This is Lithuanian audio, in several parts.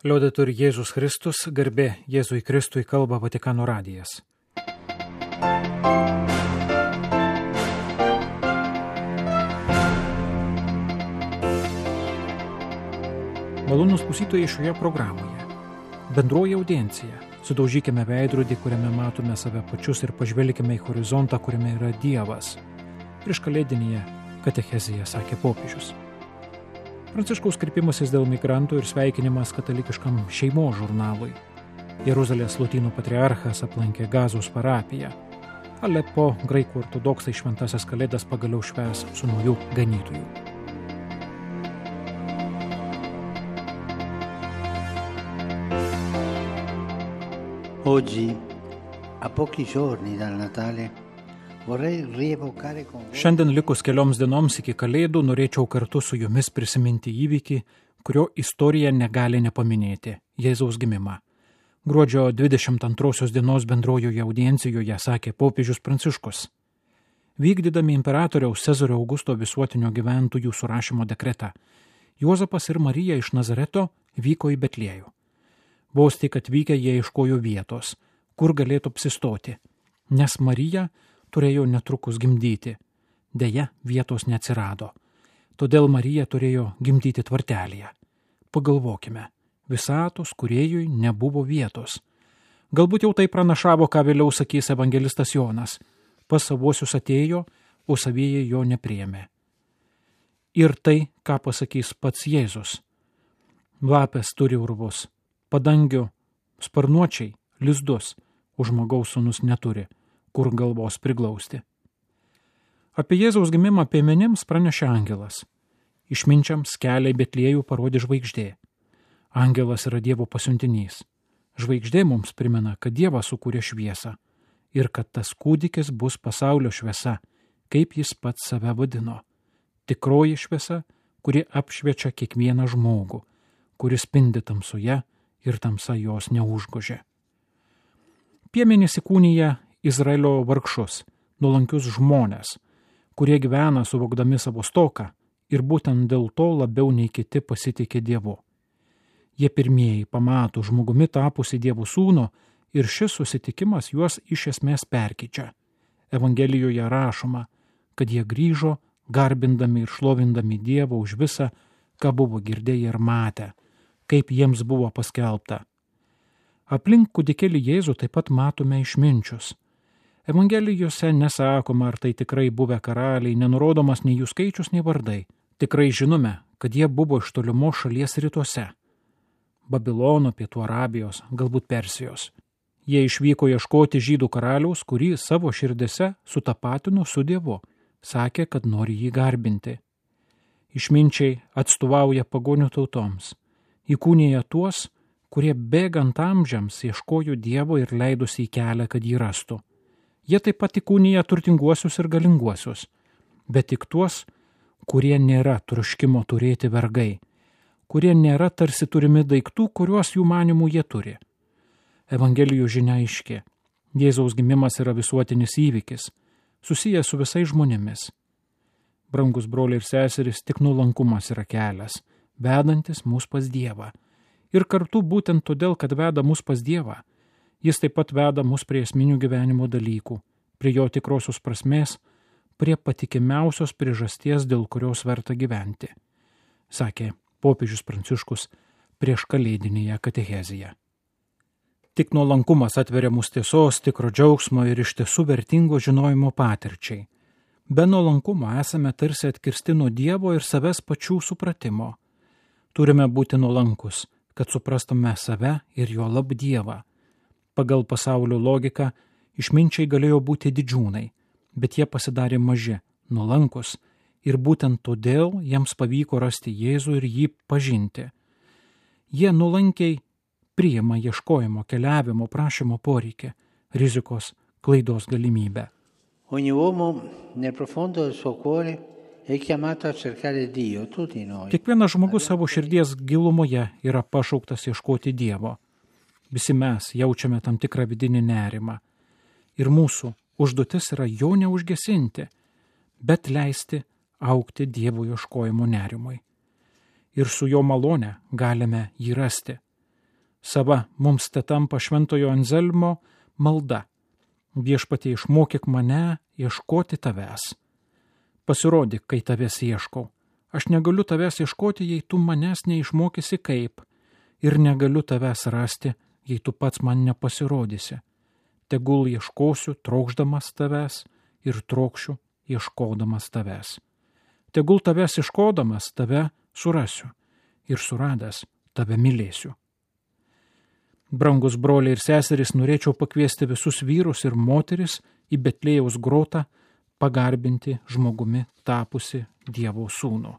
Liudetur Jėzus Kristus, garbė Jėzui Kristui, kalba Vatikano radijas. Malonūs klausytojai šioje programoje. Bendroji audiencija. Sudaužykime veidrodį, kuriame matome save pačius ir pažvelkime į horizontą, kuriame yra Dievas. Prieš kalėdinėje katechezėje sakė popiežius. Pranciškaus kreipimasis dėl migrantų ir sveikinimas katalikiškam šeimos žurnalui. Jeruzalės lotynų patriarchas aplankė Gazos parapiją. Alepo graikų ortodoksai šventasias kalėdas pagaliau švęs su nauju ganytoju. Oggi, a pochi giorni dal Natale, vorrei rievocare con voi. Šiandien likus kelioms dienoms iki kalėdų norėčiau kartu su jumis prisiminti įvykį, kurio istorija negali nepaminėti – Jėzaus gimimą. Gruodžio 22 dienos bendrojoje audiencijoje sakė popiežius Pranciškus. Vykdydami imperatoriaus Cezario Augusto visuotinio gyventojų surašymo dekretą, Juozapas ir Marija iš Nazareto vyko į Betliejų. Vos tik atvykę jie ieškojo vietos, kur galėtų apsistoti, nes Marija turėjo netrukus gimdyti. Deja, vietos neatsirado. Todėl Marija turėjo gimdyti tvartelėje. Pagalvokime, visatos kūrėjui nebuvo vietos. Galbūt jau tai pranašavo, ką vėliau sakys evangelistas Jonas. Pas savuosius atėjo, o savieji jo nepriėmė. Ir tai, ką pasakys pats Jėzus. Lapės turi urvus, padangių sparnuočiai, lizdus, o žmogaus sūnus neturi, kur galvos priglausti. Apie Jėzaus gimimą piemenims pranešė angelas. Išminčiams kelią į Betliejų parodė žvaigždė. Angelas yra Dievo pasiuntinys. Žvaigždė mums primena, kad Dievas sukūrė šviesą ir kad tas kūdikis bus pasaulio šviesa, kaip jis pats save vadino. Tikroji šviesa, kuri apšviečia kiekvieną žmogų, kuris spindi tamsoje ir tamsa jos neužgožė. Piemenys įkūnija Izraelio vargšus, nuolankius žmonės, kurie gyvena suvokdami savo stoką ir būtent dėl to labiau nei kiti pasitikė Dievu. Jie pirmieji pamato žmogumi tapusi Dievo sūnų ir šis susitikimas juos iš esmės perkeičia. Evangelijoje rašoma, kad jie grįžo, garbindami ir šlovindami Dievą už visą, ką buvo girdėję ir matę, kaip jiems buvo paskelbta. Aplink kūdikėlį Jėzų taip pat matome išminčius. Evangelijose nesakoma, ar tai tikrai buvę karaliai, nenurodomas nei jų skaičius, nei vardai. Tikrai žinome, kad jie buvo iš tolimos šalies rytuose. Babilono, Pietų Arabijos, galbūt Persijos. Jie išvyko ieškoti žydų karaliaus, kurį savo širdėse sutapatino su Dievu. Sakė, kad nori jį garbinti. Išminčiai atstovauja pagonių tautoms. Įkūnija tuos, kurie bėgant amžiams ieškojo Dievo ir leidosi į kelią, kad jį rastų. Jie taip pat įkūnija turtinguosius ir galinguosius, bet tik tuos, kurie nėra troškimo turėti vergai, kurie nėra tarsi turimi daiktų, kuriuos jų manimų jie turi. Evangelijų žinia aiški. Jėzaus gimimas yra visuotinis įvykis, susijęs su visais žmonėmis. Brangus broliai ir seserys, tik nuolankumas yra kelias, vedantis mus pas Dievą. Ir kartu būtent todėl, kad veda mus pas Dievą, jis taip pat veda mus prie esminių gyvenimo dalykų, prie jo tikrosios prasmės, prie patikimiausios priežasties, dėl kurios verta gyventi, sakė popiežius Pranciškus prieš kalėdinėje katechezėje. Tik nuolankumas atveria mus tiesos, tikro džiaugsmo ir iš tiesų vertingo žinojimo patirčiai. Be nuolankumo esame tarsi atkirsti nuo Dievo ir savęs pačių supratimo. Turime būti nuolankus, kad suprastume save ir jo lab Dievą. Pagal pasaulio logiką išminčiai galėjo būti didžiūnai, bet jie pasidarė maži, nuolankus ir būtent todėl jiems pavyko rasti Jėzų ir jį pažinti. Jie nuolankiai priima ieškojimo, keliavimo, prašymo poreikį, rizikos, klaidos galimybę. Ogni uomo nel profondo del suo cuore è chiamato a cercare Dio, tutti noi. Kiekvienas žmogus savo širdies gilumoje yra pašauktas ieškoti Dievo. Visi mes jaučiame tam tikrą vidinį nerimą. Ir mūsų užduotis yra jo neužgesinti, bet leisti augti Dievo ieškojimo nerimui. Ir su jo malone galime jį rasti. Sava mums te tampa Šventojo Anzelmo malda. Viešpatie, išmokyk mane ieškoti tavęs. Pasirodyk, kai tavęs ieškau. Aš negaliu tavęs ieškoti, jei tu manęs neišmokysi kaip. Ir negaliu tavęs rasti, jei tu pats man nepasirodysi. Tegul ieškosiu trokšdamas tavęs ir trokšiu ieškodamas tavęs. Tegul tavęs ieškodamas tave surasiu ir suradęs tave mylėsiu. Brangus broliai ir seserys, norėčiau pakviesti visus vyrus ir moteris į Betlėjaus grotą pagarbinti žmogumi tapusi Dievo sūnų.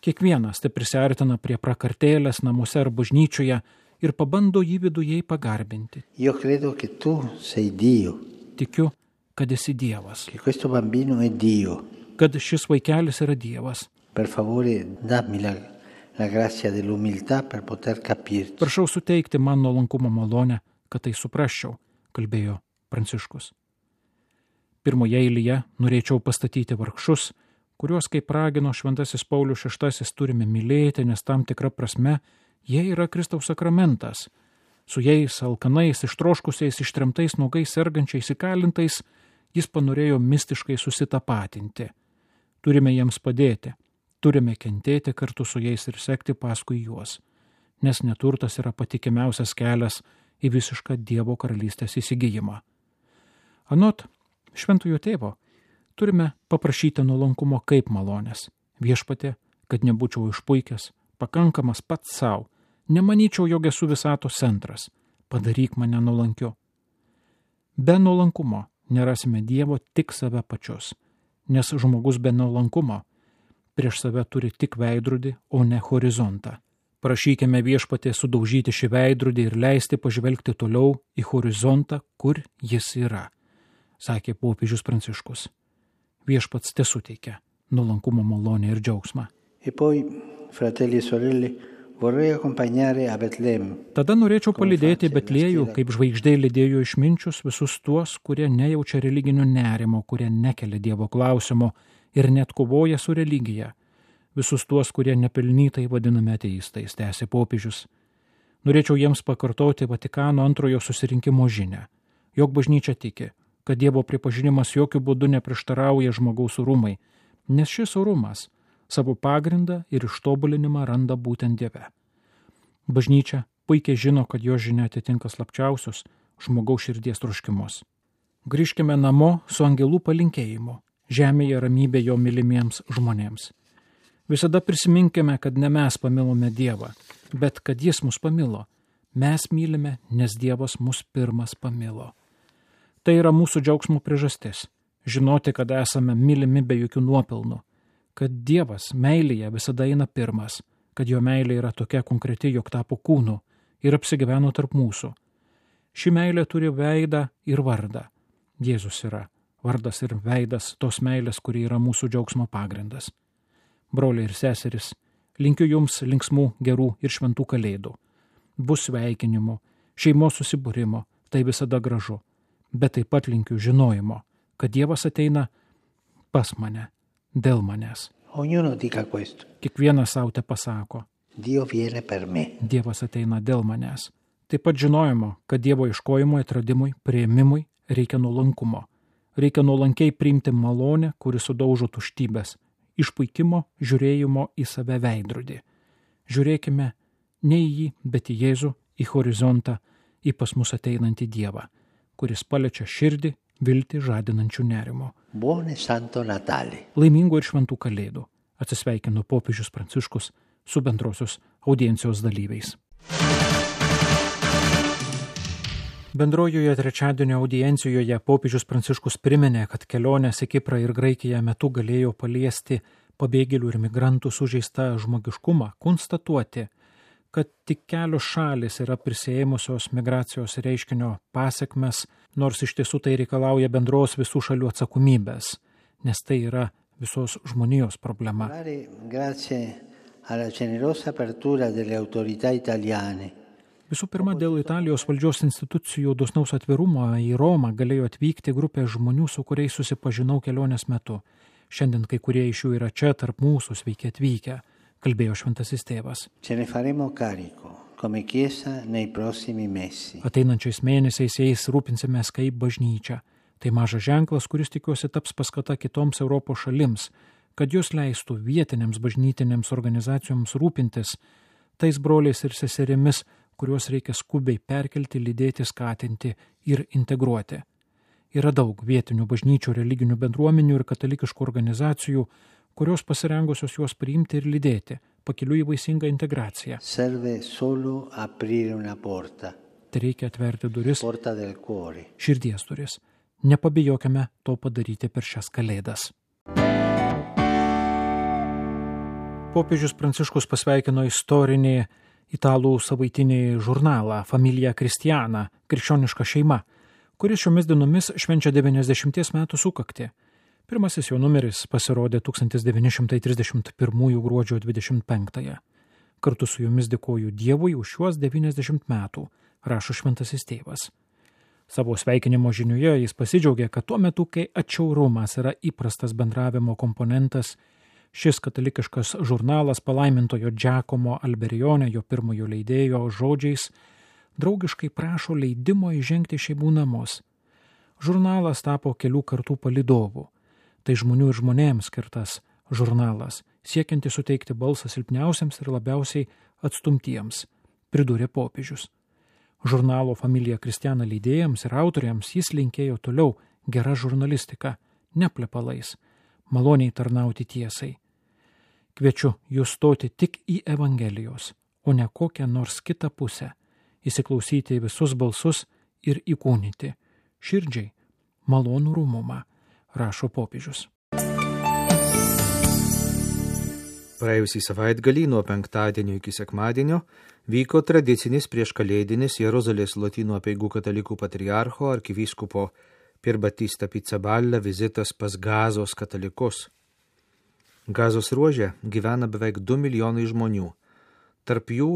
Kiekvienas te prisiartina prie prakartėlės namuose ar bažnyčioje ir pabando jį viduje pagarbinti. Io credo che tu sei Dio. Tikiu, kad esi Dievas. Che questo bambino è Dio. Kad šis vaikelis yra Dievas. Per favore, dammi la grazia dell'umiltà per poter capirti. Prašau suteikti man nuolankumo malonę, kad tai suprasčiau, kalbėjo Pranciškus. Pirmoje eilėje norėčiau pastatyti vargšus, kuriuos, kaip ragino Šventasis Paulius VI, turime mylėti, nes tam tikra prasme jie yra Kristaus sakramentas. Su jais, alkanais, ištroškusiais, ištremtais, nuogais, sergančiais, įkalintais, jis panorėjo mistiškai susitapatinti. Turime jiems padėti, turime kentėti kartu su jais ir sekti paskui juos, nes neturtas yra patikimiausias kelias į visišką Dievo karalystės įsigijimą. Anot Šventojo Tėvo, turime paprašyti nuolankumo kaip malonės. Viešpatie, kad nebūčiau išpuikęs, pakankamas pats savo, nemanyčiau, jog esu visatos centras, padaryk mane nuolankiu. Be nuolankumo nerasime Dievo tik save pačius, nes žmogus be nuolankumo prieš save turi tik veidrodį, o ne horizontą. Prašykime Viešpatie sudaužyti šį veidrodį ir leisti pažvelgti toliau į horizontą, kur jis yra, sakė popiežius Pranciškus. Viešpats te suteikia nuolankumo malonę ir džiaugsmą. E poi, fratelli e sorelle, vorrei accompagnare a Betlem. Tada norėčiau palydėti Betlėjų, kaip žvaigždė lydėjo išminčius visus tuos, kurie nejaučia religinių nerimo, kurie nekelia Dievo klausimo ir net kovoja su religija. Visus tuos, kurie nepelnytai vadinami ateistais, tęsė popiežius. Norėčiau jiems pakartoti Vatikano antrojo susirinkimo žinią, jog bažnyčia tiki, kad Dievo pripažinimas jokių būdų neprieštarauja žmogaus orumai, nes šis orumas savo pagrindą ir ištobulinimą randa būtent Dieve. Bažnyčia puikiai žino, kad jo žinia atitinka slapčiausius žmogaus širdies troškimus. Grįžkime namo su angelų palinkėjimu, žemėje ramybė jo mylimiems žmonėms. Visada prisiminkime, kad ne mes pamilome Dievą, bet kad Jis mus pamilo. Mes mylime, nes Dievas mus pirmas pamilo. Tai yra mūsų džiaugsmo priežastis – žinoti, kad esame mylimi be jokių nuopelnų, kad Dievas meilėje visada eina pirmas, kad jo meilė yra tokia konkreti, jog tapo kūnu ir apsigyveno tarp mūsų. Ši meilė turi veidą ir vardą. Jėzus yra vardas ir veidas tos meilės, kuri yra mūsų džiaugsmo pagrindas. Broliai ir seseris, linkiu jums linksmų, gerų ir šventų kalėdų. Bus sveikinimų, šeimos susibūrimo, tai visada gražu. Bet taip pat linkiu žinojimo, kad Dievas ateina pas mane, dėl manęs. Ognuno dica questo. Kiekvienas savo te pasako. Dio viene per me. Dievas ateina dėl manęs. Taip pat žinojimo, kad Dievo ieškojimui, atradimui, priėmimui reikia nuolankumo. Reikia nuolankiai priimti malonę, kuri sudaužo tuštybės, išpuikimo žiūrėjimo į save veidrodį. Žiūrėkime ne į jį, bet į Jėzų, į horizontą, į pas mus ateinantį Dievą, kuris paliečia širdį, viltį žadinančių nerimo. Buon e Santo Natale. Laimingų ir šventų kalėdų. Atsisveikino popiežius Pranciškus su bendrosios audiencijos dalyviais. Bendrojoje trečiadienio audiencijoje popiežius Pranciškus priminė, kad kelionės į Kiprą ir Graikiją metu galėjo paliesti pabėgėlių ir migrantų sužeistą žmogiškumą, konstatuoti, kad tik kelios šalis yra prisiėmusios migracijos reiškinio pasekmes, nors iš tiesų tai reikalauja bendros visų šalių atsakomybės, nes tai yra visos žmonijos problema. Visų pirma, dėl Italijos valdžios institucijų dosnaus atvirumo į Romą galėjo atvykti grupė žmonių, su kuriais susipažinau kelionės metu. Šiandien kai kurie iš jų yra čia tarp mūsų, sveiki atvykę, kalbėjo šventasis tėvas. come Chiesa nei prossimi mesi. Ateinančiais mėnesiais jais rūpinsimės kaip bažnyčia. Tai mažas ženklas, kuris tikiuosi taps paskata kitoms Europos šalims, kad jos leistų vietinėms bažnytinėms organizacijoms rūpintis tais broliais ir seserimis, kuriuos reikia skubiai perkelti, lydėti, skatinti ir integruoti. Yra daug vietinių bažnyčių, religinių bendruomenių ir katalikiškų organizacijų, kurios pasirengusios juos priimti ir lydėti, pakeliui į vaisingą integraciją. Serve solo aprire una porta. Tai reikia atverti duris, Porta del cuore. širdies duris. Nepabijokime to padaryti per šias kalėdas. Popiežius Pranciškus pasveikino istorinį italų savaitinį žurnalą Familia Cristiana, krikščioniška šeima, kuris šiomis dienomis švenčia 90 metų sukaktį. Pirmasis jo numeris pasirodė 1931 gruodžio 25. Kartu su jumis dėkoju Dievui už šiuos 90 metų, rašo šventasis tėvas. Savo sveikinimo žiniuje jis pasidžiaugė, kad tuo metu, kai atšiaurumas yra įprastas bendravimo komponentas, šis katalikiškas žurnalas palaimintojo Giacomo Alberione, jo pirmojo leidėjo žodžiais, draugiškai prašo leidimo įžengti šeimų namus. Žurnalas tapo kelių kartų palydovų. Tai žmonių ir žmonėms skirtas žurnalas, siekianti suteikti balsą silpniausiems ir labiausiai atstumtiems, pridūrė popiežius. Žurnalo Familia Cristiana leidėjams ir autoriams jis linkėjo toliau gerą žurnalistiką, neplepalais, maloniai tarnauti tiesai. Kviečiu jūs stoti tik į Evangelijos, o ne kokią nors kitą pusę, įsiklausyti į visus balsus ir įkūnyti širdžiai malonų rūmumą, rašo popiežius. Praėjusį savaitgalį nuo penktadienio iki sekmadienio vyko tradicinis prieškalėdinis Jeruzalės Lotynų apeigų katalikų patriarcho arkivyskupo Pier Battista Pizzaballa vizitas pas Gazos katalikus. Gazos ruože gyvena beveik 2 milijonai žmonių, tarp jų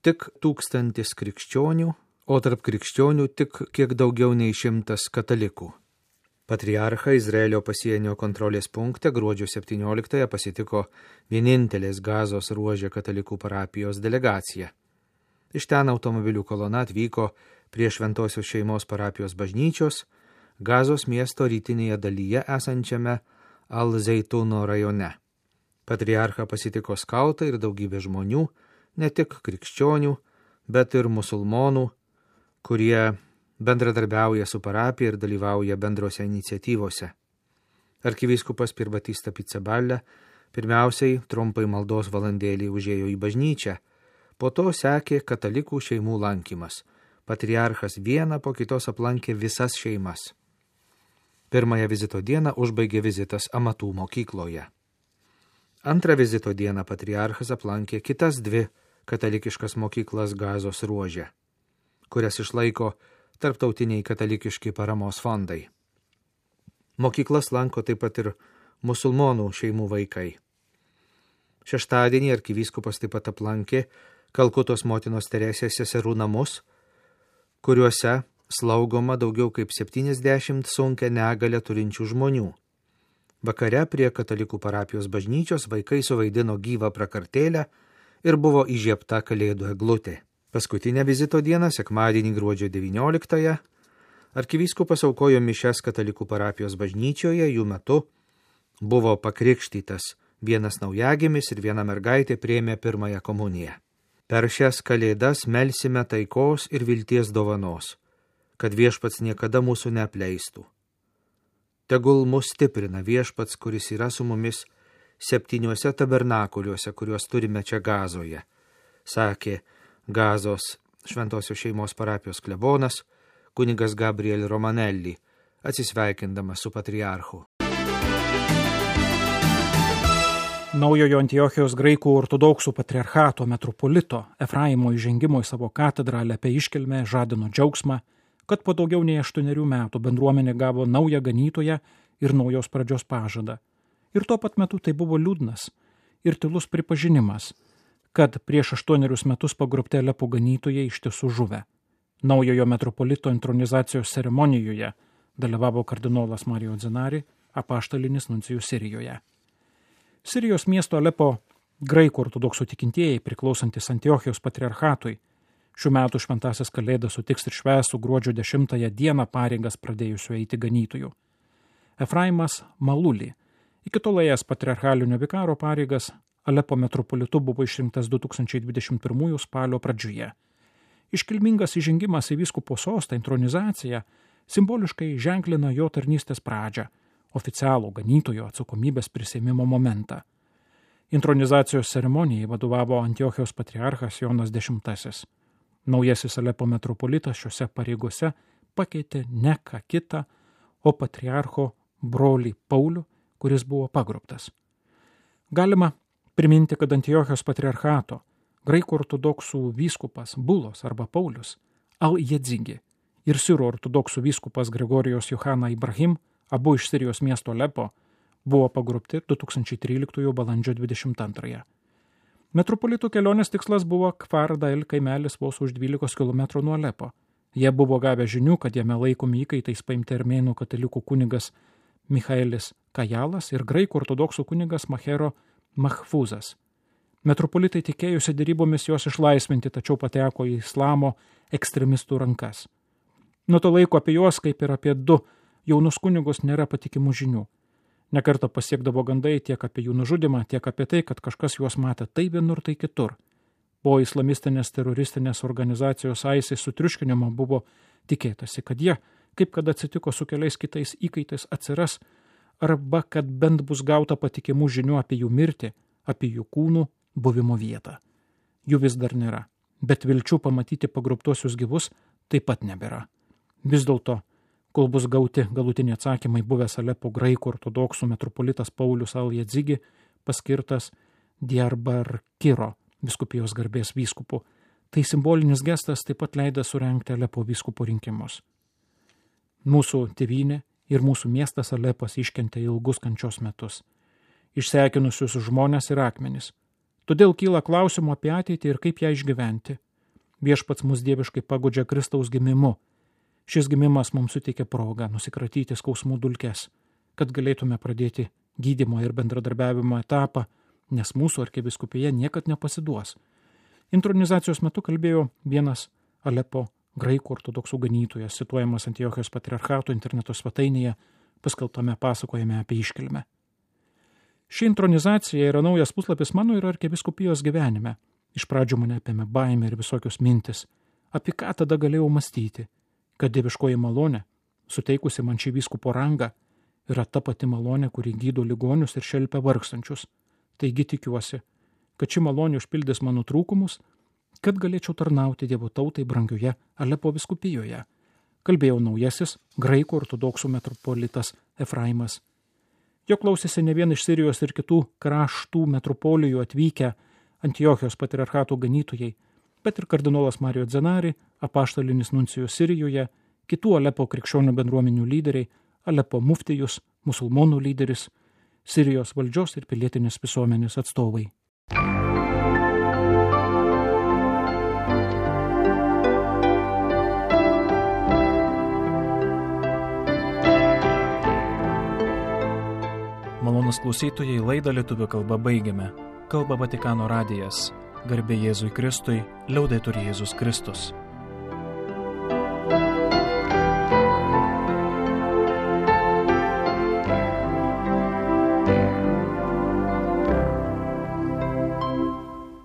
tik 1000 krikščionių, o tarp krikščionių tik kiek daugiau nei 100 katalikų. Patriarchą Izraelio pasienio kontrolės punkte gruodžio 17 pasitiko vienintelės Gazos ruože katalikų parapijos delegacija. Iš ten automobilių kolona atvyko prie Šventosios šeimos parapijos bažnyčios Gazos miesto rytinėje dalyje esančiame Al-Zeituno rajone. Patriarchą pasitiko skautai ir daugybė žmonių, ne tik krikščionių, bet ir musulmonų, kurie bendradarbiauja su parapija ir dalyvauja bendrose iniciatyvose. Arkivyskupas Pier Battista Pizzaballa pirmiausiai trumpai maldos valandėlį užėjo į bažnyčią, po to sekė katalikų šeimų lankymas. Patriarchas vieną po kitos aplankė visas šeimas. Pirmąją vizito dieną užbaigė vizitas amatų mokykloje. Antrą vizito dieną patriarchas aplankė kitas 2 katalikiškas mokyklas Gazos ruože, kurias išlaiko tarptautiniai katalikiški paramos fondai. Mokyklas lanko taip pat ir musulmonų šeimų vaikai. Šeštadienį arkivyskupas taip pat aplankė Kalkutos motinos Teresės seserų namus, kuriuose slaugoma daugiau kaip 70 sunkią negalę turinčių žmonių. Vakare prie katalikų parapijos bažnyčios vaikai suvaidino gyvą prakartėlę ir buvo įžiebta kalėdų eglutė. Paskutinę vizito dieną, sekmadienį gruodžio 19, arkivyskupas aukojo mišias katalikų parapijos bažnyčioje, jų metu buvo pakrikštytas vienas naujagimis ir viena mergaitė priėmė pirmąją komuniją. Per šias kalėdas melsime taikos ir vilties dovanos, kad viešpats niekada mūsų neapleistų. Tegul mus stiprina viešpats, kuris yra su mumis 7 tabernakuliuose, kuriuos turime čia Gazoje, sakė Gazos Šventosios šeimos parapijos klebonas, kunigas Gabriel Romanelli, atsisveikindamas su patriarchu. Naujojo Antiochijos graikų ortodoksų patriarchato metropolito Efraimo įžengimo į savo katedrą apie iškilmę žadino džiaugsmą, kad po daugiau nei 8 metų bendruomenė gavo naują ganytoją ir naujos pradžios pažadą. Ir tuo pat metu tai buvo liūdnas ir tylus pripažinimas, kad prieš 8 metus pagrobti Alepo ganytojai iš tiesų žuvę. Naujojo metropolito intronizacijos ceremonijoje dalyvavo kardinolas Mario Zenari, apaštalinis nuncijus Sirijoje. Sirijos miesto Alepo graikų ortodoksų tikintieji priklausantis Antiochijos patriarchatui Šių metų šventasis Kalėdas sutiks ir švęs su gruodžio 10 dieną pareigas pradėjusiu eiti ganytojų. Efraimas Maluli, iki tol ėjęs patriarchalinio vikaro pareigas, Alepo metropolitu buvo išrinktas 2021 spalio pradžioje. Iškilmingas įžengimas į vyskupo sostą, intronizacija, simboliškai ženklina jo tarnystės pradžią, oficialų ganytojo atsakomybės prisėmimo momentą. Intronizacijos ceremonijai vadovavo Antiochijos patriarchas Jonas X. Naujasis Alepo metropolitas šiuose pareigose pakeitė ne ką kitą, o patriarcho brolį Paulių, kuris buvo pagrobtas. Galima priminti, kad Antiochijos patriarchato graikų ortodoksų vyskupas Bulos arba Paulius Al-Jedzigi ir sirų ortodoksų vyskupas Gregorijos Johana Ibrahim, abu iš Sirijos miesto Alepo, buvo pagrobti 2013 balandžio 22. Metropolitų kelionės tikslas buvo Kfar Dail kaimelis vos už 12 km nuo Alepo. Jie buvo gavę žinių, kad jame laikomi įkaitais paimti armėnų katalikų kunigas Michaelis Kajalas ir graikų ortodoksų kunigas Mahero Mahfuzas. Metropolitai tikėjusi derybomis juos išlaisvinti, tačiau pateko į islamo ekstremistų rankas. Nuo to laiko apie juos, kaip ir apie 2 jaunus kunigus, nėra patikimų žinių. Nekartą pasiekdavo gandai tiek apie jų nužudimą, tiek apie tai, kad kažkas juos matė tai vienur, tai kitur. Po islamistinės teroristinės organizacijos ISIS sutriuškinimo buvo tikėtasi, kad jie, kaip kad atsitiko su keliais kitais įkaitais, atsiras, arba kad bent bus gauta patikimų žinių apie jų mirtį, apie jų kūnų buvimo vietą. Jų vis dar nėra, bet vilčių pamatyti pagrobtuosius gyvus taip pat nebėra. Vis dėlto, kol bus gauti galutiniai atsakymai, buvęs Alepo graikų ortodoksų metropolitas Paulius Al-Jedzigi paskirtas Diyarbakiro vyskupijos garbės vyskupu. Tai simbolinis gestas taip pat leida surengti Alepo vyskupų rinkimus. Mūsų tėvynė ir mūsų miestas Alepas iškentė ilgus kančios metus, išsekinusius žmonės ir akmenis. Todėl kyla klausimų apie ateitį ir kaip ją išgyventi. Viešpats mus dieviškai paguodžia Kristaus gimimu. Šis gimimas mums suteikia progą nusikratyti skausmų dulkes, kad galėtume pradėti gydymo ir bendradarbiavimo etapą, nes mūsų arkivyskupija niekad nepasiduos. Intronizacijos metu kalbėjo vienas Alepo graikų ortodoksų ganytojas, cituojamas Antiochijos patriarchato interneto svetainėje, paskelbtame pasakojime apie iškilmę. Ši intronizacija yra naujas puslapis mano ir arkivyskupijos gyvenime. Iš pradžių mane apėmė baimė ir visokios mintis. Apie ką tada galėjau mąstyti? Kad dieviškoji malonė, suteikusi man šį vyskupo rangą, yra ta pati malonė, kuri gydo ligonius ir šelpia vargstančius. Taigi tikiuosi, kad ši malonė užpildys mano trūkumus, kad galėčiau tarnauti Dievo tautai brangioje Alepo vyskupijoje. Kalbėjo naujasis graikų ortodoksų metropolitas Efraimas. Jo klausėsi ne vien iš Sirijos ir kitų kraštų metropolijų atvykę Antiochijos patriarchato ganytojai, bet ir kardinolas Mario Zenari, apaštalinis nuncijus Sirijoje, kitų Alepo krikščionių bendruomenių lyderiai, Alepo muftijus, musulmonų lyderis, Sirijos valdžios ir pilietinės visuomenės atstovai. Malonūs klausytojai, laidą lietuvių kalba baigiame. Kalba Vatikano radijas. Garbė Jėzui Kristui, liaudetur Jėzus Kristus.